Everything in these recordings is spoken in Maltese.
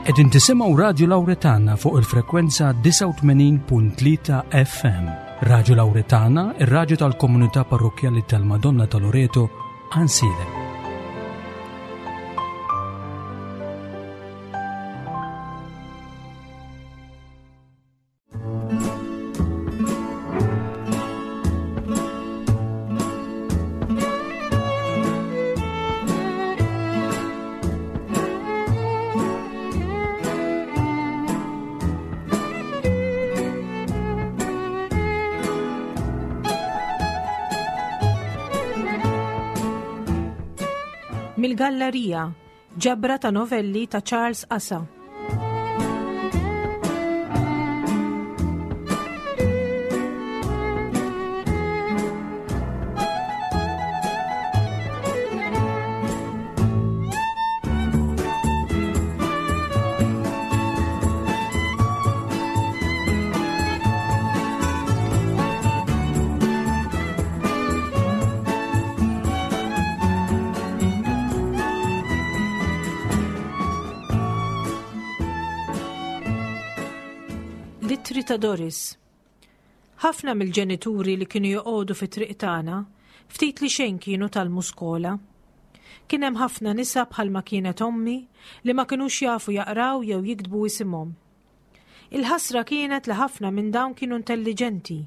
Qegħdin tisimgħu Radju Lawretana fuq il-frekwenza 89.3 FM. Radju Lawretana, ir-radju tal-komunità parrokkjali tal-Madonna ta' Loreto, Ansilem. Mill-Gallerija, Ġabra ta' novelli ta' Charles Asa. L-ittri ta' Doris. Ħafna mill-ġenituri li kienu joqogħdu fit-triq tagħna ftit li xejn kienu tgħallmu skola. Kien hemm ħafna nisa bħalma kienet ommi li ma kinux jafu jaqraw jew jiktbu isimhom. Il-ħasra kienet li ħafna minn dawn kienu intelliġenti,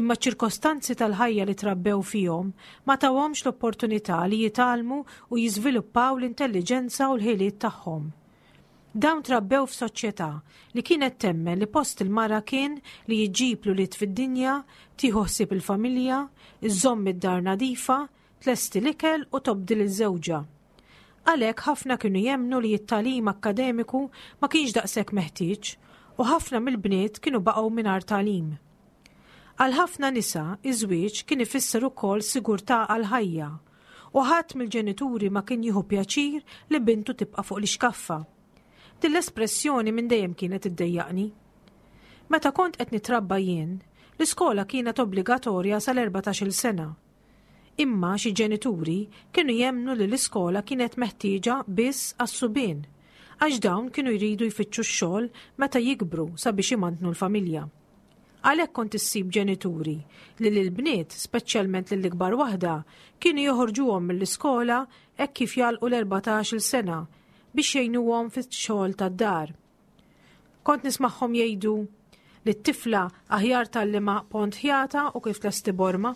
imma ċ-ċirkostanzi tal-ħajja li trabbew fihom ma tawhomx l-opportunità li jitgħallmu u jiżviluppaw l-intelliġenza u l-ħiliet tagħhom. Dawn trabbew f'soċjetà li kienet temmen li post il-mara kien li jġib l-ulied fid-dinja, tieħu ħsieb il-familja, iżżomm id-dar nadifa, tlesti l-ikel u tobdi lil żewġha. Għalhekk ħafna kienu jemmnu li t-tagħlim akkademiku ma kienx daqshekk meħtieġ u ħafna mill-bniet kienu baqgħu mingħajr tagħlim. Għal ħafna nisa, iż-żwieġ kien ifisser ukoll sigurtà għall-ħajja u ħadd mill-ġenituri ma kien jieħu pjaċir li bintu tibqa' fuq l-ixkaffa. Din l-espressjoni minn dejjem kienet iddejjaqni. Meta kont qed nitrabba jien, l-iskola kienet obbligatorja sal-14-il sena. Imma xi ġenituri kienu jemmnu li l-iskola kienet meħtieġa biss għas-subien, għax dawn kienu jridu jfittxu x-xogħol meta jikbru sabiex imantnu l-familja. Għalhekk kont issib ġenituri li lill-bniet, speċjalment lill-ikbar waħda, kienu joħorġuhom mill-iskola hekk kif jagħlqu l-erbatax-il sena biex jgħinuhom fix-xogħol tad-dar. Kont nismagħhom jgħidu li t-tifla aħjar tgħallimha pont ħjata u kif tlesti borma.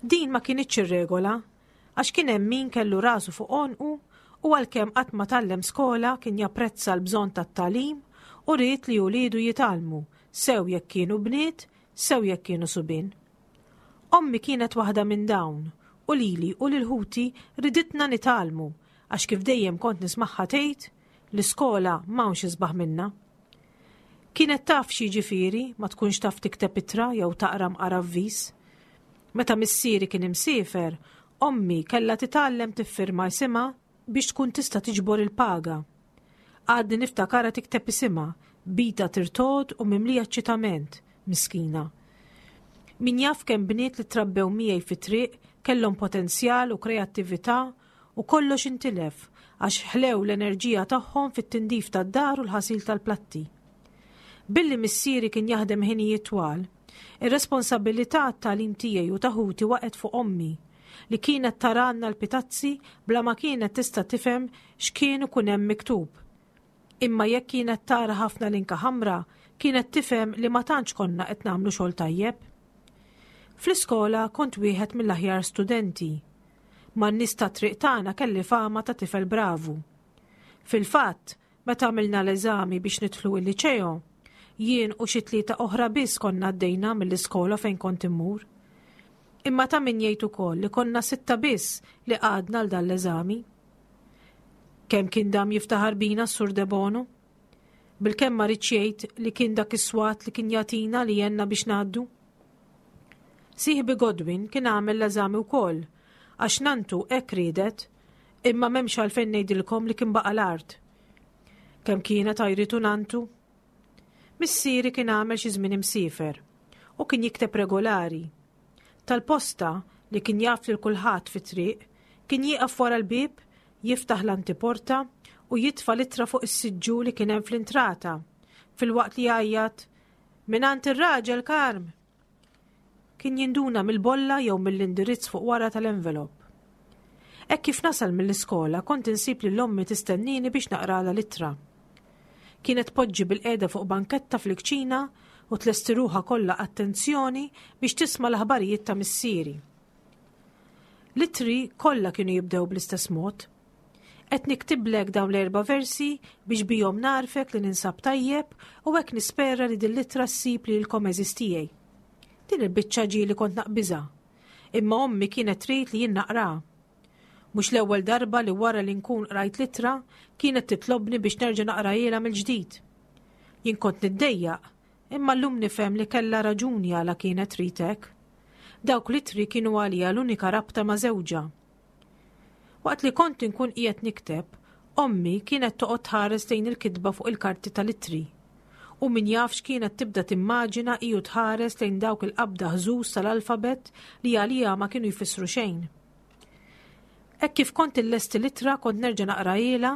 Din ma kinitx ir-regola, għax kien hemm min kellu rasu fuq għonqu u għalkemm qatt ma tgħallem skola kien japprezza l-bżonn tat-tagħlim u ried li uliedu jitgħallmu, sew jekk kienu bniet, sew jekk kienu subien. Ommi kienet waħda minn dawn u lili u lil ħuti riditna nitgħallmu għax kif dejjem kont nismagħha tgħid, L-iskola m'hawnx isbaħ minnha. Kienet taf x'jiġifieri ma tkunx taf tikteb ittra jew taqra mqar avviż. Meta missieri kien imsiefer, ommi kellha titgħallem tiffirma isimha biex tkun tista' tiġbor il-paga. Għadni niftakarha tikteb isimha, b'idha tirtogħod u mimlija eċċitament, miskina. Min jaf kemm bniet li trabbew miegħi fit-triq kellhom potenzjal u kreattività u kollox intilef għax ħlew l-enerġija tagħhom fit-tindif tad-dar u l-ħasil tal-platti. Billi missieri kien jaħdem ħinijiet twal, ir-responsabilità għat-tagħlim tiegħi u ta' ħuti waqgħet fuq ommi, li kienet taralna l-pitazzi bla ma kienet tista' tifhem x'kien ikun hemm miktub. Imma jekk kienet tara ħafna linka ħamra, kienet tifhem li ma tantx konna qed nagħmlu xogħol tajjeb. Fl-iskola kont wieħed mill-aħjar studenti. Man-nies tat-triq tagħna kelli fama ta' tifel bravu. Fil-fatt, meta għamilna l-eżami biex nidħlu il-liċeo, jien u xi tlieta oħra biss konna għaddejna mill-iskola fejn kont immur. Imma ta' min jgħid ukoll li konna sitta biss li qgħadna għal dan l-eżami. Kemm kien dam jiftaħar bina s-Sur Debono? Bilkemm ma ridx jgħid li kien dak is-swat li kien jagħtina li għenna biex ngħaddu. Sieħbi Godwin kien għamel l-eżami wkoll, għax nantu hekk riedet, imma m'hemmx għalfejn ngħidilkom li kien baqa' l-art. Kemm kienet għajritu nantu? Missieri kien għamel xi żmien imsiefer u kien jikteb regolari. Tal-posta li kien jaf lil kulħadd fit-triq, kien jieqaf wara l-bieb, jiftaħ l-antiporta u. u jitfa' l-ittra fuq is-siġġu li kien hemm fl-intrata, filwaqt li jgħajjat, Mingħand ir-raġel Karm! Kien jinduna mill-bolla jew mill-indirizz fuq wara tal-envelop. Hekk kif nasal mill-iskola kont insib lil ommi tistennini biex naqralha l-ittra. Kienet tpoġġi bilqiegħda fuq banketta fil-kċina u tlesti ruħha kollha attenzjoni biex tisma' l-aħbarijiet ta' missieri. L-ittri kollha kienu jibdew bl-istess mod. Qed niktiblek dawn l-erba' versi biex bihom nagħrfek li ninsab tajjeb u hekk nispera li din l-ittra ssib lilkom għeżież tiegħi. Din il-biċċa ġieli kont naqbiżha. Imma ommi kienet trid li jien naqraha. Mhux l-ewwel darba li wara li nkun qrajt l-ittra kienet titlobni biex nerġa' naqrahielha mill-ġdid. Jien kont niddejjaq, imma llum nifhem li kellha raġuni għala kienet trid hekk. Dawk l-ittri kienu għaliha l-unika rabta ma' żewġha. Waqt li kont inkun qiegħed nikteb, ommi kienet toqgħod tħares lejn il-kitba fuq il-karti tal-ittri. U min jaf x'kienet tibda timmaġina hi u tħares lejn dawk il-qabda ħżuż tal-alfabett li għaliha ma kienu jfissru xejn. Hekk kif kont illesti l-ittra kont nerġa' naqrahielha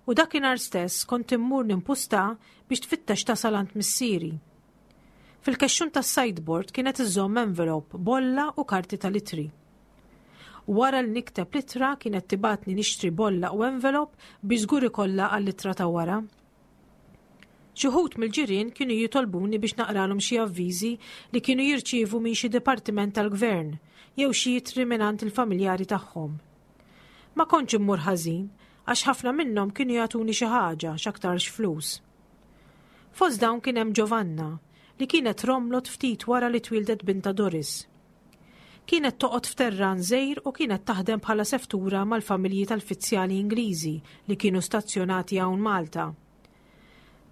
u dakinhar stess kont immur nimpusta biex tfittex tasal għand missieri. Fil-kexxun tas-sideboard kienet iżżomm envelope, bolla u karti tal-ittri. Wara li nikteb l-ittra kienet tibgħatni nixtri bolla u envelop biex żgur ikollha għall-ittra ta' wara. Xi wħud mill-ġirien kienu jitolbuni biex naqralhom xi avviżi li kienu jirċievu minn xi dipartiment tal-gvern jew xi ittri mingħand il-familjari tagħhom. Ma kontx immur ħażin għax ħafna minnhom kienu jagħtuni xi ħaġa x'aktarx flus. Fost dawn kien hemm Giovanna li kienet romlot ftit wara li twieldet bintha Doris. Kienet toqgħod f'terran żgħir u kienet taħdem bħala seftura mal-familji tal-fizzjali Ingliżi li kienu stazzjonati hawn Malta.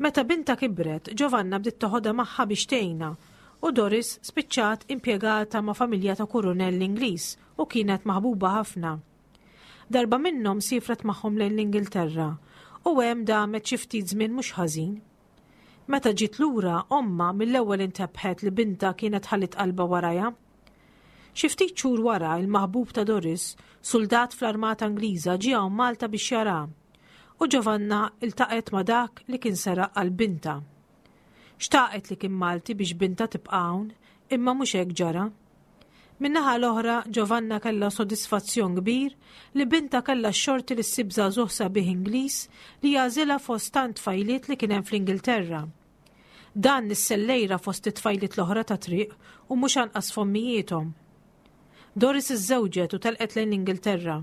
Meta bintha kibret, Giovanna bdiet toħodha magħha biex tgħinha u Doris spiċċat impjegata ma' familja ta' kurunell Ingliż u kienet maħbuba ħafna. Darba minnhom siefret magħhom lejn l-Ingilterra u hemm damet xi ftit żmien mhux ħażin. Meta ġiet lura, ommha mill-ewwel intebħet li bintha kienet ħalliet qalbha warajha. Xi ftit xhur wara, il-maħbub ta' Doris, suldat fl-armata Ingliża, ġie hawn Malta biex jaraha. U Giovanna iltaqgħet ma' dak li kien seraq qalb bintha. Xtaqet li kien Malti biex bintha tibqa' hawn, imma mhux hekk ġara. Min-naħa l-oħra, Giovanna kellha sodisfazzjon kbir li bintha kellha x-xorti li ssib żagħżugħ sabiħ Ingliż li jagħżilha fost tant tfajliet li kien hemm fl-Ingilterra. Dan nissel l-għira fost it-tfajliet l-oħra tat-triq u mhux anqas f'ommijiethom. Doris iżżewġet u telqet lejn l-Ingilterra.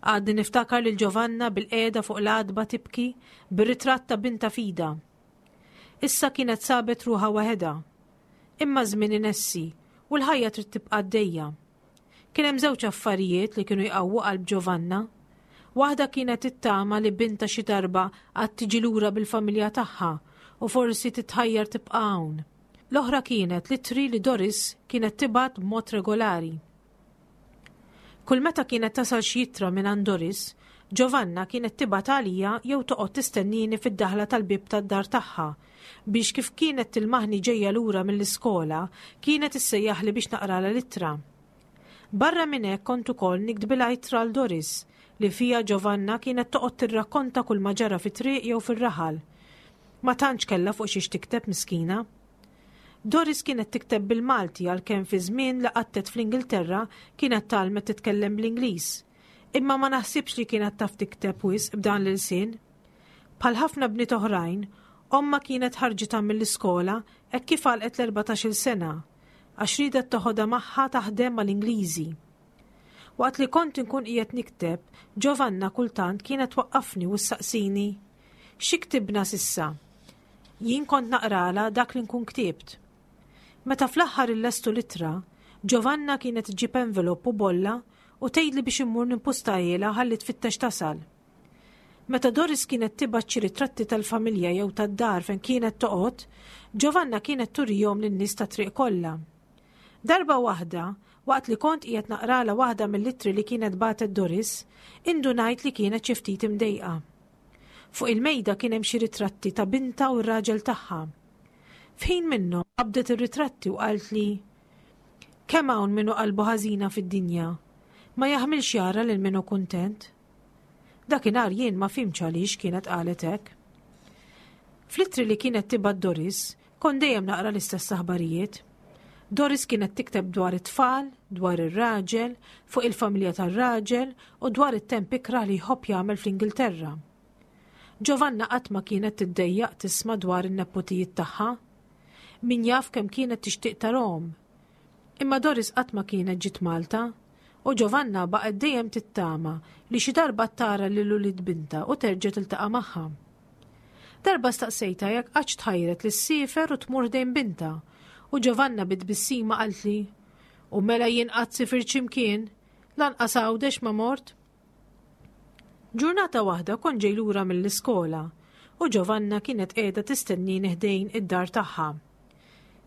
Għadni niftakar lil Giovanna bilqiegħda fuq l-għatba tibki bir-ritratt ta' bintha f'idha. Issa kienet sabet ruħha waħedha. Imma ż-żmien inessi u l-ħajja trid tibqa' għaddejja. Kien hemm żewġ affarijiet li kienu jqawwu qalb Giovanna. Waħda kienet it-tama li bintha xi darba għad tiġi lura bil-familja tagħha u forsi titħajjar tibqa' hawn. L-oħra kienet l-ittri li Doris kienet tibgħat b'mod regolari. Kull meta kienet tasal xi ittra mingħand Doris, Giovanna kienet tibgħat għalija jew toqgħod tistennini fid-daħla tal-bieb tad-dar tagħha biex kif kienet tilmaħni ġejja lura mill-iskola kienet issejjaħli biex naqralha l-ittra. Barra minn hekk kont ukoll niktbilha ittra għal Doris li fiha Giovanna kienet toqgħod tirrakkonta kull ma ġara fit-triq jew fir-raħal. Ma tantx kellha fuq xiex tikteb miskina. Doris kienet tikteb bil-Malti għalkemm fi żmien li qattet fl-Ingilterra kienet tgħallmet titkellem bl-Ingliż. Imma ma naħsibx li kienet taf tikteb wisq b'dan l-ilsien. Bħal ħafna bniet oħrajn, ommha kienet ħarġitha mill-iskola hekk kif għalqet l-erbatax-il sena, għax riedet toħodha magħha taħdem mal-Ingliżi. Waqt li kont inkun qiegħed nikteb, Giovanna kultant kienet twaqqafni u ssaqsini, Xi ktibna s'issa? Jien kont naqralha dak li nkun ktibt. Meta fl-aħħar illestu l-ittra, Giovanna kienet iġġib envelop u bolla u tgħidli biex immur nimpustahielha ħalli tfittex tasal. Meta Doris kienet tibgħat xi ritratti tal-familja jew tad-dar fejn kienet toqgħod, Giovanna kienet turihom lin-nies tat-triq kollha. Darba waħda, waqt li kont qiegħed naqralha waħda mill-ittri li kienet bagħtet Doris, indunajt li kienet xi ftit imdejqa. Fuq il-mejda kien hemm xi ritratti ta' bintha u r-raġel tagħha. F'ħin minnhom qabdet ir-ritratti u qaltli, Kemm hawn min hu qalbu ħażina fid-dinja. Ma jaħmilx jara lil min hu kuntent. Dakinhar jien ma fhimtx għaliex kienet qalet hekk. Fl-ittri li kienet tibgħat Doris, kont dejjem naqra l-istess aħbarijiet. Doris kienet tikteb dwar it-tfal, dwar ir-raġel, fuq il-familja tar-raġel u dwar it-temp ikrah li jħobb jagħmel fl-Ingilterra. Giovanna qatt ma kienet tiddejjaq tisma' dwar in-nepotijiet tagħha. Min jaf kemm kienet tixtieq tarahom. Imma Doris qatt ma kienet ġiet Malta u Giovanna baqgħet dejjem tittama li xi darba tara lil ulied bintha u terġa' tiltaqa' magħha. Darba staqsejtha jekk qattx tħajret li ssiefer u tmur ħdejn bintha u Giovanna bi tbissima qaltli, U mela jien qatt sifirt xi mkien, lanqas Għawdex ma mort? Ġurnata waħda kont ġej lura mill-iskola u Giovanna kienet qiegħda tistennini ħdejn id-dar tagħha.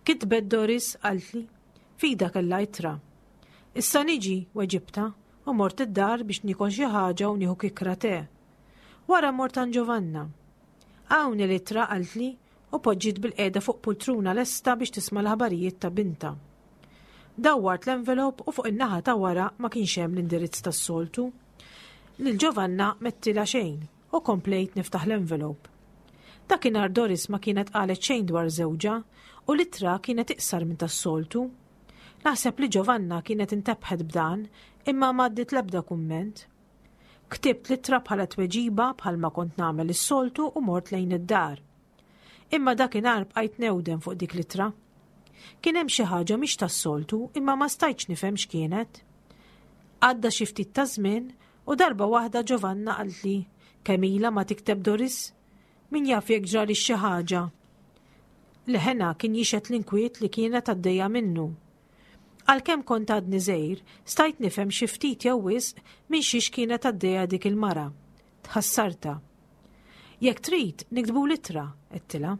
Kitbet Doris qaltli, f'idha kellha ittra. Issa niġi, weġibtha, u mort id-dar biex niekol xi ħaġa u nieħu kikra te. Wara mort għand Giovanna. Hawn l-ittra qaltli u poġġiet bilqiegħda fuq pultruna lesta biex tisma' l-aħbarijiet ta' bintha. Dawwart l-envelop u fuq in-naħa ta' wara ma kienx hemm l-indirizz tas-soltu. Lil Giovanna m'għedtilha xejn u komplejt niftaħ l-envelop. Dakinhar Doris ma kienet qalet xejn dwar żewġha u l-ittra kienet iqsar minn tas-soltu. Naħseb li Giovanna kienet intebħet b'dan imma m'għaddiet l-ebda kumment. Ktibt l-ittra bħala tweġiba bħalma kont nagħmel is-soltu u mort lejn id-dar. Imma dakinhar bqajt newden fuq dik l-ittra. Kien hemm xi ħaġa mhix tas-soltu imma ma stajtx nifhem x'kienet. Għadda xi ftit ta' żmien u darba waħda Giovanna qaltli kemm ilha ma tikteb Doris. Min jaf jekk ġralix xi ħaġa. Leħenha kien jixhed l-inkwiet li kienet għaddejja minnu. Għalkemm kont għadni żgħir, stajt nifhem xi ftit jew wisq minn xiex kienet għaddejja dik il-mara. Tħassartha. Jekk trid, niktbu l-ittra, għedtilha.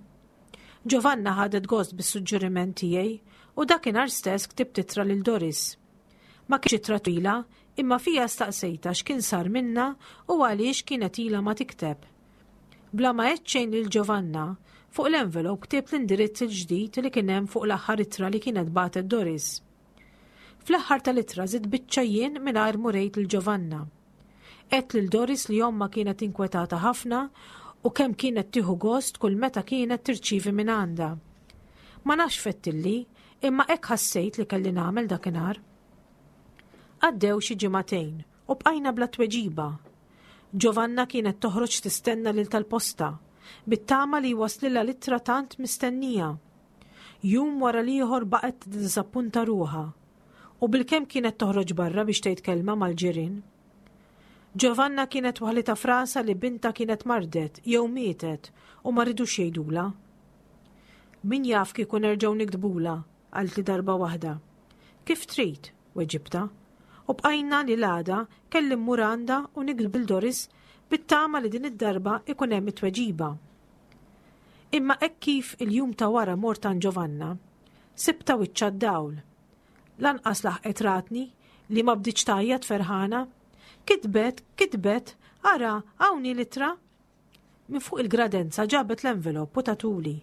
Giovanna ħadet gost bis-suġġeriment tiegħi u dakinhar stess ktibt ittra lil Doris. Ma kienx ittra twila, imma fija staqsejtha x'kien sar minnha u għaliex kienet ilha ma tikteb. Bla ma għedt xejn lil Giovanna, fuq l-envelope ktibt l-indirizz il-ġdid li kien hemm fuq l-aħħar ittra li kienet bagħtet Doris. Fl-aħħar tal-ittra żidt biċċa jien mingħajr m'urejt lil Giovanna. Għedt lil Doris li ommha kienet inkwetata ħafna u kemm kienet tieħu gost kull meta kienet tirċievi minn għandha. Ma nafx fettilli, imma hekk ħassejt li kelli nagħmel dakinhar. Għaddew xi ġimagħtejn u bqajna bla tweġiba. Giovanna kienet toħroġ tistenna lil tal-posta, bit-tama li jwasslilha l-ittra tant mistennija. Jum wara l-ieħor baqgħet tiddiżappunta ruħha. U bilkemm kienet toħroġ barra biex tgħid kelma mal-ġirien. Giovanna kienet waħlitha f'rasha li bintha kienet mardet jew mietet u ma ridux jgħidulha. Min jaf kieku nerġgħu niktbulha, qaltli darba waħda. Kif trid, weġibtha. U bqajna li l-għada kelli mmur għandha u niktbu lil Doris bit-tama li din id-darba ikun hemm it-tweġiba. Imma hekk kif il-jum ta' wara mort għand Giovanna, sibtha wiċċha d-dawl. Lanqas laħqet ratni li ma bdietx tgħajjat ferħana. Kitbet, kitbet, ara, hawn hi l-ittra. Minn fuq il-gradenza ġabet l-envelop u tatuli.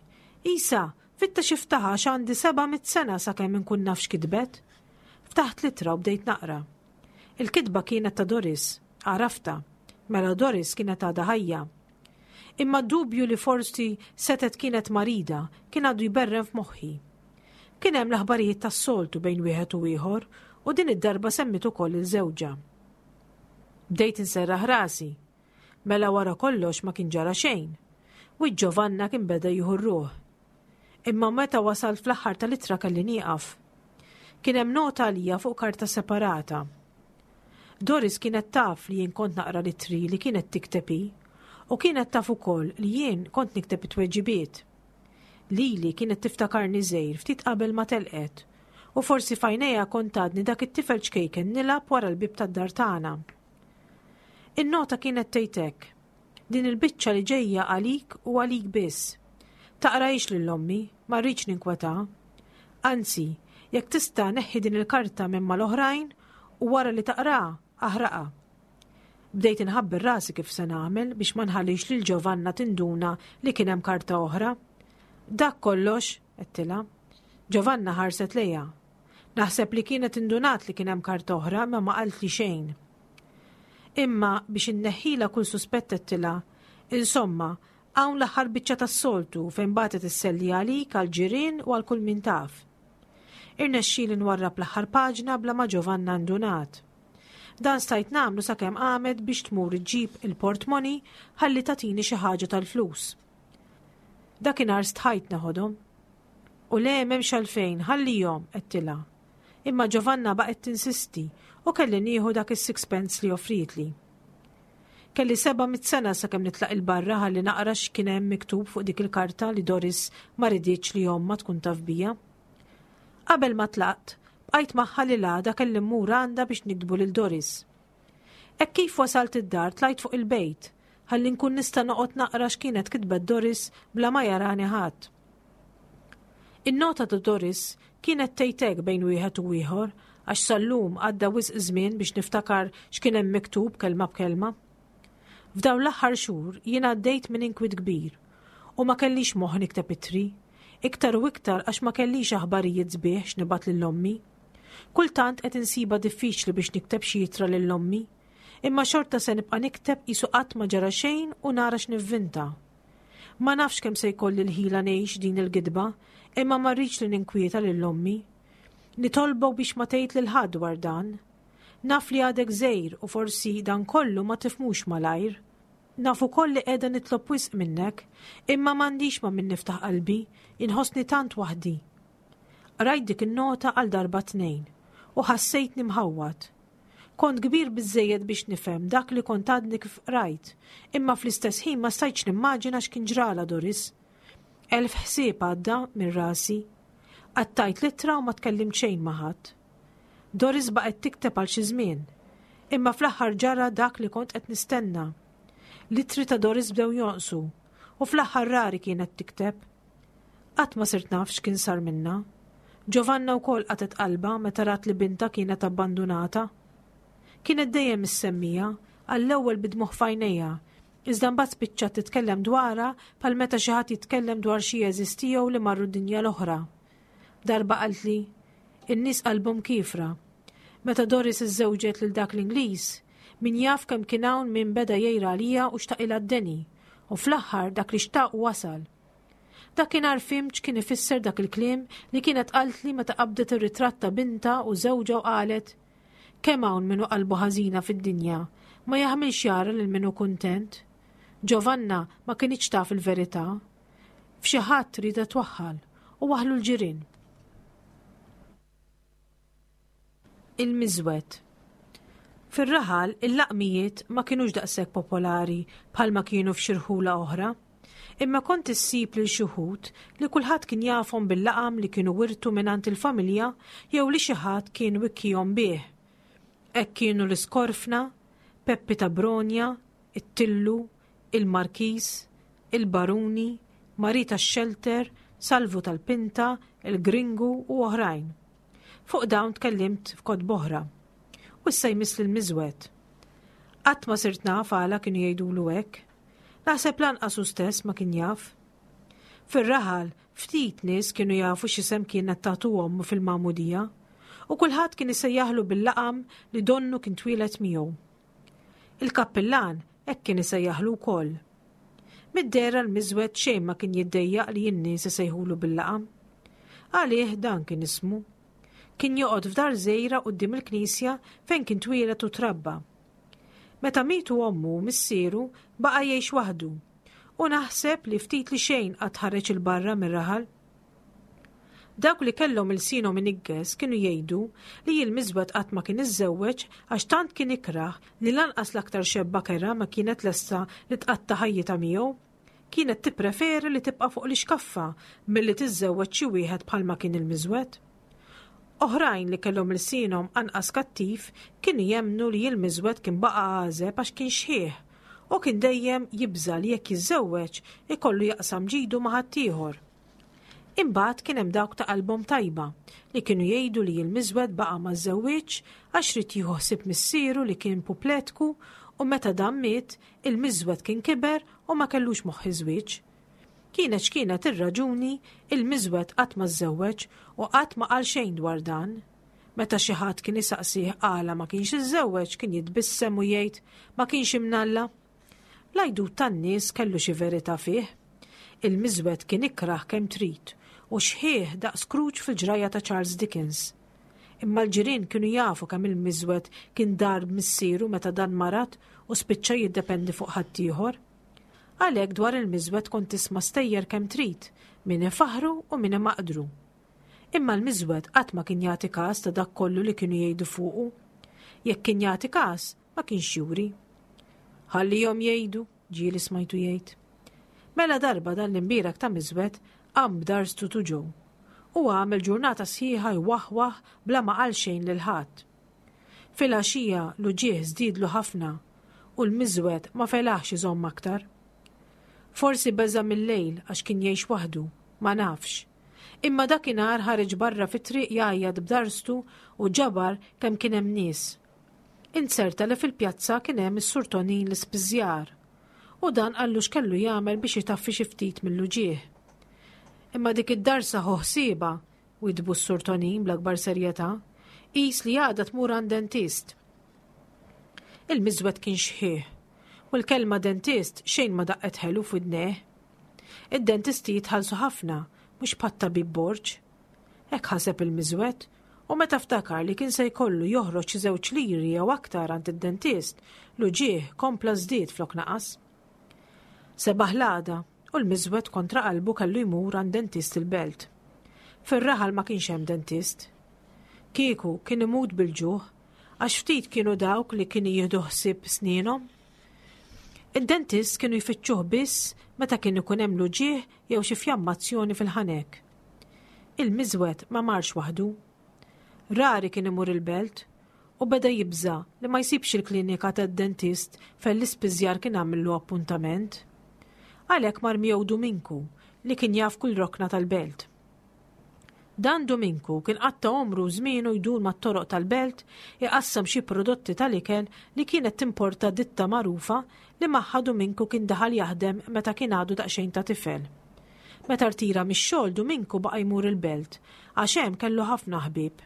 Isa, fittex iftaħha għax għandi 700 sena sakemm inkun naf x'kitbet. Ftaħt l-ittra u bdejt naqra. Il-kitba kienet ta' Doris, għaraftha. Mela Doris kienet għadha ħajja. Imma d-dubju li forsi setgħet kienet marida kien għadu jberren f'moħħi. Kien hemm l-aħbarijiet tas-soltu bejn wieħed u ieħor u din id-darba semmiet ukoll lil żewġha. Bdejt inserraħ rasi. Mela wara kollox ma kien ġara xejn. Wiċċ Giovanna kien beda jieħu r-ruħ. Imma meta wasalt fl-aħħar tal-ittra kelli nieqaf. Kien hemm nota għalija fuq karta separata. Doris kienet taf li jien kont naqra l-ittri li kienet tikteb hi u kienet taf ukoll li jien kont nikteb it-tweġibiet. Lili kienet tiftakarni żgħir ftit qabel ma telqet u forsi f'għajnejha kont għadni dak it-tifel ċkejken nilgħab wara l-bieb tad-dar tagħna. In-nota kienet tgħid hekk, Din il-biċċa li ġejja għalik u għalik biss. Taqrahiex lil ommi, ma rridx ninkwetaha. Anzi, jekk tista' neħħi din il-karta minn mal-oħrajn u wara li taqraha, aħraqha. Bdejt inħabber rasi kif se nagħmel biex ma nħallix lil Giovanna tinduna li kien hemm karta oħra. Dak kollox, għedtilha. Giovanna ħarset lejha. Naħseb li kienet indunat li kien hemm karta oħra imma ma qaltli xejn. Imma biex inneħħilha kull suspett għedtilha, Insomma, hawn l-aħħar biċċa tas-soltu fejn bagħtet isselli għalik, għall-ġirien u għal kull min taf. Irnexxieli nwarrab l-aħħar paġna bla ma Giovanna ndunat. Dan stajt nagħmlu sakemm qamet biex tmur iġġib il-portmoni ħalli tagħtini xi ħaġa tal-flus. Dakinhar stħajt neħodhom. U le m'hemmx għalfejn, ħallihom, għedtilha. Imma Giovanna baqgħet tinsisti u kelli nieħu dak is-sixpence li offrietli. Kelli 700 sena sakemm nitlaq 'il barra ħalli naqra x'kien hemm miktub fuq dik il-karta li Doris ma riditx li ommha tkun taf bija. Qabel ma tlaqt, bqajt magħha li l-għada kelli mmur għandha biex niktbu lil Doris. Hekk kif wasalt id-dar tlajt fuq il-bejt, ħalli nkun nista' noqgħod naqra x'kienet kitbet Doris bla ma jarani ħadd. In-nota ta' Doris kienet tgħid hekk bejn wieħed u ieħor għax sal-lum għadda wisq żmien biex niftakar x'kien hemm miktub kelma b'kelma. F'dawn l-aħħar xhur jien għaddejt minn inkwiet kbir u ma kellix moħħ nikteb ittri, iktar u iktar għax ma kellix aħbarijiet sbieħ x'nibgħat lil ommi. Kultant qed insibha diffiċli biex nikteb xi ittra lil ommi, imma xorta se nibqa' nikteb qisu qatt ma ġara xejn u nara x'nivvinta. Ma nafx kemm se jkolli l-ħila ngħix din il-gidba, imma ma rridx li ninkwieta lil ommi. Nitolbok biex ma tgħid lil ħadd dwar dan. Naf li għadek żgħir u forsi dan kollu ma tifhmux malajr. Naf ukoll li qiegħda nitlob wisq minnek, imma m'għandix ma' min niftaħ qalbi, inħossni tant waħdi. Qrajt dik in-nota għal darba tnejn u ħassejtni mħawwad. Kont kbir biżżejjed biex nifhem dak li kont għadni kif qrajt, imma fl-istess ħin ma stajtx nimmaġina x'kien ġralha Doris. Elf ħsieb għadda minn rasi. Qattajt l-ittra u ma tkellimt xejn ma' ħadd. Doris baqgħet tikteb għal xi żmien, imma fl-aħħar ġara dak li kont qed nistenna. L-ittri ta' Doris bdew jonqsu u fl-aħħar rari kienet tikteb. Qatt ma sirt naf x'kien sar minnha. Giovanna wkoll qatgħet qalbha meta rat li bintha kienet abbandunata. Kienet dejjem issemmija, għall-ewwel bid-dmugħ f'għajnejha, iżda mbagħad spiċċat titkellem dwarha bħal meta xi ħadd jitkellem dwar xi għeżież tiegħu li marru d-dinja l-oħra. Darba qaltli, In-nies qalbhom kiefra. Meta Doris iżżewġet lil dak l-Ingliż, min jaf kemm kien hawn min beda jgħir għaliha u xtaqilha d-deni, u fl-aħħar dak li xtaq wasal. Dakinhar fhimt x'kien ifisser dak il-kliem li kienet qaltli meta qabdet ir-ritratt ta' bintha u żewġha u qalet, Kemm hawn min hu qalbu ħażina fid-dinja, ma jaħmilx jara lil min hu kuntent. Giovanna ma kinitx taf il-verità. F'xi ħadd rieda twaħħal u waħħlu l-ġirien. Il-miżwed. Fir-raħal, il-laqmijiet ma kinux daqshekk popolari bħalma kienu f'xi rħula oħra. Imma kont issib lil xi wħud li kulħadd kien jafhom bil-laqam li kienu wirtu mingħand il-familja jew li xi ħadd kien wikkihom bih. Hekk kienu l-Iskorfna, Peppi ta' Bronja, it-Tillu, il-Markiż, il-Baruni, Marie tax-Xelter, Salvu tal-Pinta, il-Gringu u oħrajn. Fuq dawn tkellimt f'kotba oħra. U issa jmiss lill-Miżwed. Qatt ma sirt naf għala kienu jgħidulu hekk. Naħseb lanqas hu stess ma kien jaf. Fir-raħal, ftit nies kienu jafu x'isem kienet tagħtu ommu fil-magħmudija, u kulħadd kien isejjaħlu bil-laqam li donnu kien twieled miegħu. Il-kappillan hekk kien isejjaħlu wkoll. Mid-dehra l-miżwed xejn ma kien jiddejjaq li n-nies isejħulu bil-laqam. Għalih dan kien ismu. Kien joqgħod f'dar żgħira quddiem il-knisja fejn kien twieled u trabba. Meta mietu ommu u missieru baqa' jgħix waħdu u naħseb li ftit li xejn qatt ħareġ 'il barra mir-raħal. Dawk li kellhom ilsienhom iniggeż kienu jgħidu li l-miżwed qatt ma kien iżżewweġ għax tant kien ikrah li lanqas l-aktar xebba kerha ma kienet lesta li tqatta' ħajjitha miegħu. Kienet tippreferi li tibqa' fuq l-ixkaffa milli tiżżewweġ xi wieħed bħalma kien il-miżwed. Oħrajn li kellhom ilsienhom anqas kattiv kienu jemmnu li l-miżwed kien baqa' għażeb għax kien xħiħ u kien dejjem jibża' li jekk jiżżewweġ ikollu jaqsam ġidu ma' ħaddieħor. Imbagħad kien hemm dawk ta' qalbhom tajba li kienu jgħidu li l-miżwed baqa' ma żżewwiġx għax ried jieħu ħsieb missieru li kien pupletku u meta dan miet, il-miżwed kien kiber u ma kellux moħħ iż-żwieġ. Kienet x'kienet ir-raġuni, il-miżwed qatt ma żżewweġ u qatt ma qal xejn dwar dan. Meta xi ħadd kien isaqsih għala ma kienx iżżewweġ kien jitbissem u jgħid ma kienx imnalla. L-għajdut tan-nies kellu xi verità fih. Il-miżwed kien ikrah kemm trid u xħiħ daqs Scrooge fil-ġrajja ta' Charles Dickens. Imma l-ġirien kienu jafu kemm il-miżwed kien dar b'missieru meta dan marad u spiċċa jiddependi fuq ħaddieħor. Għalhekk dwar il-miżwed kont tisma' stejjer kemm trid, min ifaħħru u min imaqdru. Imma l-miżwed qatt ma kien jagħti każ ta' dak kollu li kienu jgħidu fuqu. Jekk kien jagħti każ, ma kienx juri. Ħallihom jgħidu, ġieli smajtu jgħid. Mela darba dan l-imbierek ta' miżwed qam b'darstu tuġu u għamel ġurnata sħiħa jwaħwaħ bla ma qal xejn lil ħadd. Filgħaxija l-uġigħ żdiedlu ħafna u l-miżwed ma felaħx iżomm aktar. Forsi beża' mil-lejl għax kien jgħix waħdu, ma nafx. Imma dakinhar ħareġ barra fit-triq jgħajjat b'darstu u ġabar kemm kien hemm nies. Inzerta li fil-pjazza kien hemm is-Sur Tonin l-ispiżjar. U dan qallu x'kellu jagħmel biex itaffi xi ftit mill-uġigħ. Imma dik id-darsa ħu ħsiebha, widdbu s-Sur Tonin bl-akbar serjetà, qis li għada tmur għand dentist. Il-miżwed kien xħiħ, u l-kelma dentist xejn ma daqqet ħelu f'widnejh. Id-dentisti jitħallsu ħafna, mhux bħat-tabib Borg. Hekk ħaseb il-miżwed, u meta ftakar li kien se jkollu joħroġ xi żewġ liri jew aktar għand id-dentist, l-uġigħ kompla żdied flok naqas. Sebaħ l-għada, u l-miżwed kontra qalbu kellu jmur għand dentist il-belt. Fir-raħal ma kienx hemm dentist. Kieku kien imut bil-ġuħ, għax ftit kienu dawk li kienu jieħdu ħsieb snienhom. Id-dentist kienu jfittxuh biss meta kien ikun hemm l-uġigħ jew xi fjammazzjoni fil-ħanek. Il-miżwed ma marx waħdu. Rari kien imur il-belt u beda jibża' li ma jsibx il-klinika tad-dentist fejn l-ispiżjar kien għamillu appuntament. Għalhekk mar miegħu Duminku li kien jaf kull rokna tal-belt. Dan Duminku kien qatta' għomru u żmienu jdur mat-toroq tal-belt iqassam xi prodotti tal-ikel li kienet timporta ditta magħrufa li magħha Duminku kien daħal jaħdem meta kien għadu daqsxejn ta' tifel. Meta rtira mix-xogħol Duminku baqa' jmur il-belt għax hemm kellu ħafna ħbieb.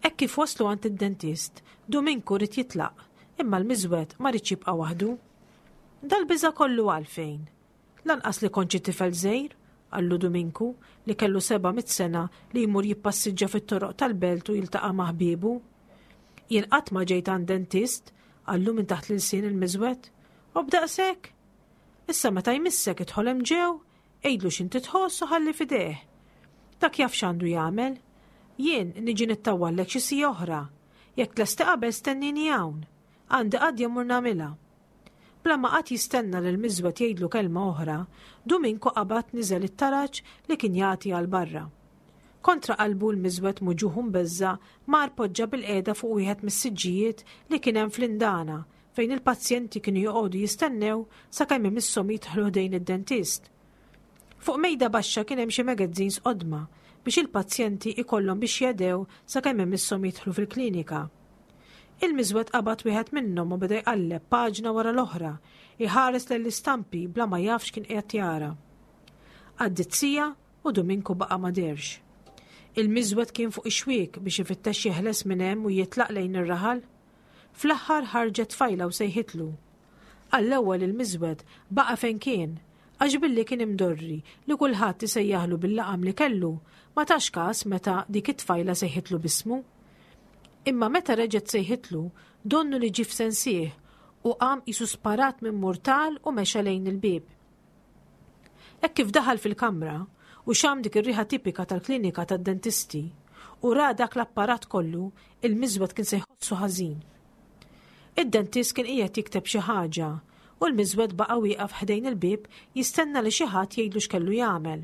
Hekk kif waslu għand id-dentist, Duminku ried jitlaq, imma l-miżwed ma riedx jibqa' waħdu. Dal-biża' kollu għalfejn? Lanqas li kont xi tifel żgħir, qallu Duminku, li kellu 700 sena li jmur jippassiġġa fit-toroq tal-belt u jiltaqa' ma' ħbiebu. Jien qatt ma ġejt għand dentist, qallu minn taħt l-ilsien il-miżwed. U b'daqshekk? Issa meta jmissek idħol hemm ġew, għidlu x'inti tħoss u ħalli f'idejh. Dak jaf x'għandu jagħmel. Jien niġi nittawwallek xi siegħa oħra. Jekk tlesti qabel stennini hawn. Għandi qadja mmur nagħmilha. Bla ma qagħad jistenna lil Miżwed jgħidlu kelma oħra, Duminku qabad niżel it-taraġ li kien jagħti għal barra. Kontra qalbu l-Miżwed muġugħ u mbeżża' mar poġġa bilqiegħda fuq wieħed mis-siġġijiet li kien hemm fl-indana fejn il-pazjenti kienu joqogħdu jistennew sakemm imisshom jidħlu ħdejn id-dentist. Fuq mejda baxxa kien hemm xi magazines qodma biex il-pazjenti ikollhom biex jedew sakemm imisshom jidħlu fil-klinika. Il-miżwed qabad wieħed minnhom u beda jqalleb paġna wara l-oħra, iħares lejn l-istampi bla ma jaf x'kien qiegħed jara. Għaddiet siegħa u Duminku baqa' ma dehrx. Il-miżwed kien fuq ix-xwiek biex ifittex jeħles minn hemm u jitlaq lejn ir-raħal. Fl-aħħar ħarġet tfajla u sejħitlu. Għall-ewwel il-miżwed baqa' fejn kien, għax billi kien imdorri li kulħadd isejjaħlu bil-laqam li kellu, ma tax kas meta dik it-tfajla sejħitlu b'ismu. Imma meta reġgħet sejħitlu, donnu li ġie f'sensih u qam qisu sparat minn murtal u mexa lejn il-bieb. Hekk kif daħal fil-kamra u xam dik ir-riħa tipika tal-klinika tad-dentisti u ra dak l-apparat kollu, il-miżwed kien se jħossu ħażin. Id-dentist kien qiegħed jikteb xi ħaġa u l-miżwed baqa' wieqaf ħdejn il-bieb jistenna li xi ħadd jgħidlu x'kellu jagħmel.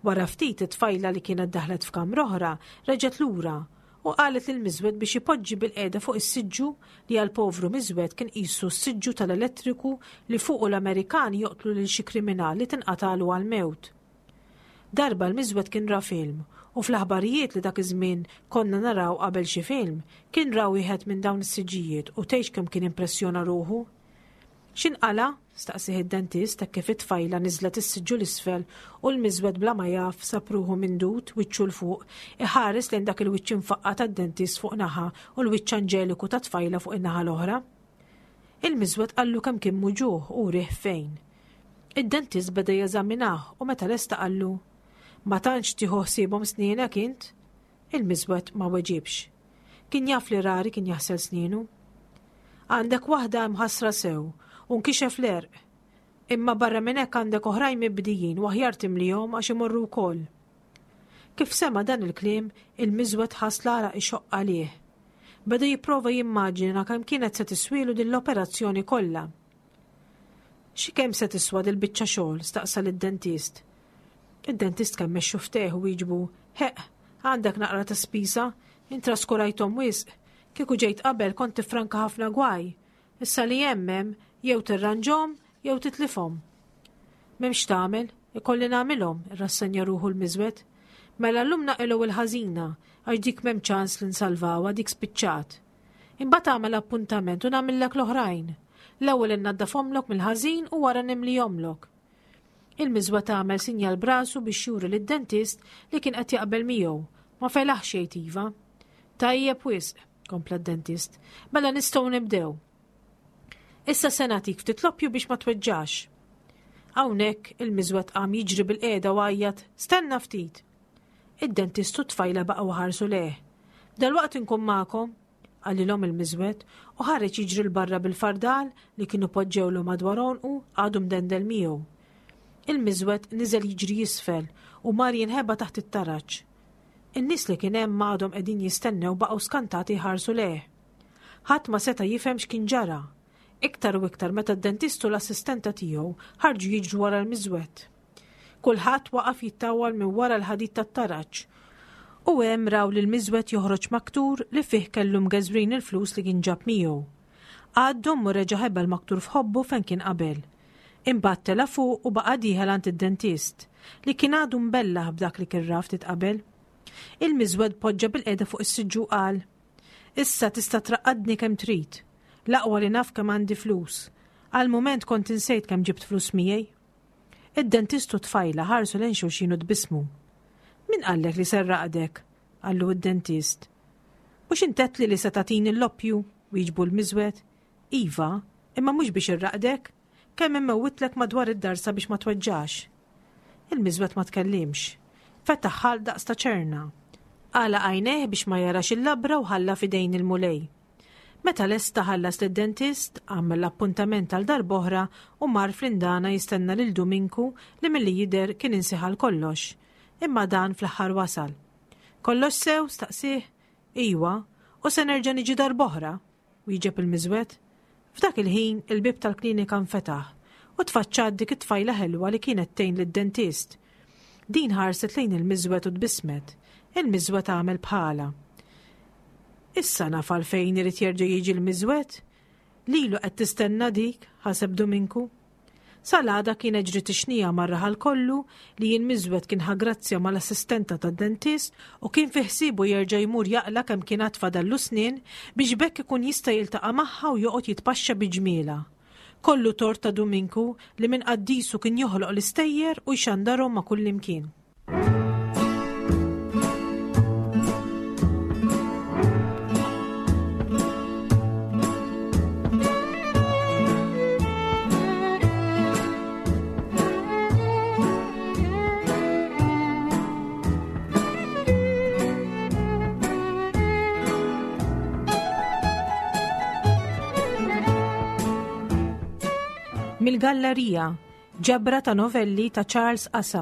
Wara ftit it-tfajla li kienet daħlet f'kamra oħra reġgħet lura u qalet lill-miżwed biex ipoġġi bilqiegħda fuq is-siġġu li għall-povru miżwed kien qisu s-siġġu tal-elettriku li fuqu l-Amerikani joqtlu lil xi kriminal li tinqatagħlu għall-mewt. Darba l-miżwed kien ra film u fl-aħbarijiet li dak iż-żmien konna naraw qabel xi film kien ra wieħed minn dawn is-siġġijiet u tgħidx kemm kien impressjona ruħu. X'inqala'? staqsieh id-dentist hekk kif it-tfajla niżlet is-siġġu 'l isfel u l-miżwed bla ma jaf sab ruħu mindud, wiċċu 'l fuq, iħares lejn dak il-wiċċ imfaqqa' tad-dentist fuq naħa u l-wiċċ anġeliku tat-tfajla fuq in-naħa l-oħra. Il-miżwed qallu kemm kien muġugħ u wrieh fejn. Id-dentist beda jeżaminah u meta lesta qallu, Ma tantx tieħu ħsiebhom snienek int? Il-miżwed ma weġibx. Kien jaf li rari kien jaħsel snienu. Għandek waħda imħassra sew u nkixef l-għerq. Imma barra minn hekk għandek oħrajn mibdijin u aħjar timlihom għax imorru wkoll. Kif sema' dan il-kliem, il-miżwed ħass l-għaraq ixoqq għalih. Beda jipprova jimmaġina kemm kienet se tiswielu din l-operazzjoni kollha. Xi kemm se tiswa dil-biċċa xogħol? staqsa lid-dentist. Id-dentist kemmex xuftejh u wieġbu, Ħeqq, għandek naqra ta' spiża, int traskurajthom wisq. Kieku ġejt qabel kont tiffranka ħafna gwaj. Issa li hemm hemm, jew tirranġhom jew titlifhom. M'hemmx x'tagħmel, ikolli nagħmilhom, irrassenja ruħu l-miżwed. Mela llum naqilgħu il-ħażina, għax dik m'hemm ċans li nsalvawha, dik spiċċat. Imbagħad agħmel appuntament u nagħmillek l-oħrajn. L-ewwel innaddafhomlok mill-ħażin u wara nimlihomlok. Il-miżwed għamel sinjal b'rasu biex juri lid-dentist li kien qed jaqbel miegħu. Ma felaħx jgħid iva. Tajjeb wisq, kompla d-dentist. Mela nistgħu nibdew. Issa se nagħtik ftit loppju biex ma tweġġax. Hawnhekk il-miżwed qam jiġri bil-qiegħda u għajjat, "Stenna ftit!" Id-dentist u t-tfajla baqgħu ħarsu lejh. Dalwaqt inkun magħkom, qalilhom il-miżwed u ħareġ jiġri 'l barra bil-fardal li kienu poġġewlu madwar għonqu għadu mdendel miegħu. Il-miżwed niżel jiġri isfel u mar jinħeba taħt it-taraġ. In-nies li kien hemm għadhom qegħdin jistennew baqgħu skantati jħarsu lejh. Ħadd ma seta' jifhem x'kien ġara. Iktar u iktar meta d-dentist u l-assistenta tiegħu ħarġu jiġru wara l-miżwed. Kulħadd waqaf jittawwal minn wara l-ħadid tat-taraġ u hemm raw lil miżwed joħroġ maktur li fih kellu mgeżwrin il-flus li kien ġab miegħu. Għaddhom u reġa' ħeba l-maktur f'ħobbu fejn kien qabel. Imbagħad tela' fuq u baqa' dieħel għand id-dentist, li kien għadu mbellah b'dak li kien ra ftit qabel. Il-miżwed poġġa bilqiegħda fuq is-siġġu u qal, Issa tista' traqqadni kemm trid. L-aqwa li naf kemm għandi flus. Għal mument kont insejt kemm ġibt flus miegħi. Id-dentist u t-tfajla ħarsu lejn xulxin u tbissmu. Min qallek li se rraqdek? qallu d-dentist. Mhux int għedtli li se tagħtini l-loppju? wieġbu l-miżwed. Iva, imma mhux biex irraqdek. Kemm immewwitlek madwar id-darsa biex ma tweġġax. Il-miżwed ma tkellimx. Fetaħ ħalq daqs ta' ċerna. Għalaq għajnejh biex ma jarax il-labra u ħalla f'idejn il-Mulej. Meta lesta ħallas lid-dentist, għamel l-appuntament għal darb'oħra u mar fl-indana jistenna lil Duminku li milli jidher kien insieh għal kollox. Imma dan fl-aħħar wasal. Kollox sew? staqsieh. Iwa, u se nerġa' niġi darb'oħra, wieġeb il-miżwed. F'dak il-ħin il-bieb tal-klinika nfetaħ u tfaċċat dik it-tfajla ħelwa li kienet tgħin lid-dentist. Din ħarset lejn il-miżwed u tbissmet. Il-miżwed għamel bħalha. Issa naf għalfejn irid jerġa' jiġi l-miżwed. Lilu qed tistenna dik, ħaseb Duminku. Sal-għada kienet ġriet ix-xnija mar-raħal kollu li l-miżwed kien ħa grazzja mal-assistenta tad-dentist u kien fi ħsiebu jerġa' jmur jaqla' kemm kien għad fadallu snien biex b'hekk ikun jista' jiltaqa' magħha u joqgħod jitpaxxa bi ġmielha. Kollu tort ta' Duminku li minn qaddisu kien joħloq l-istejjer u jxandarhom ma' kullimkien. Mill-Gallerija, ġabra ta' novelli ta' Charles Asa.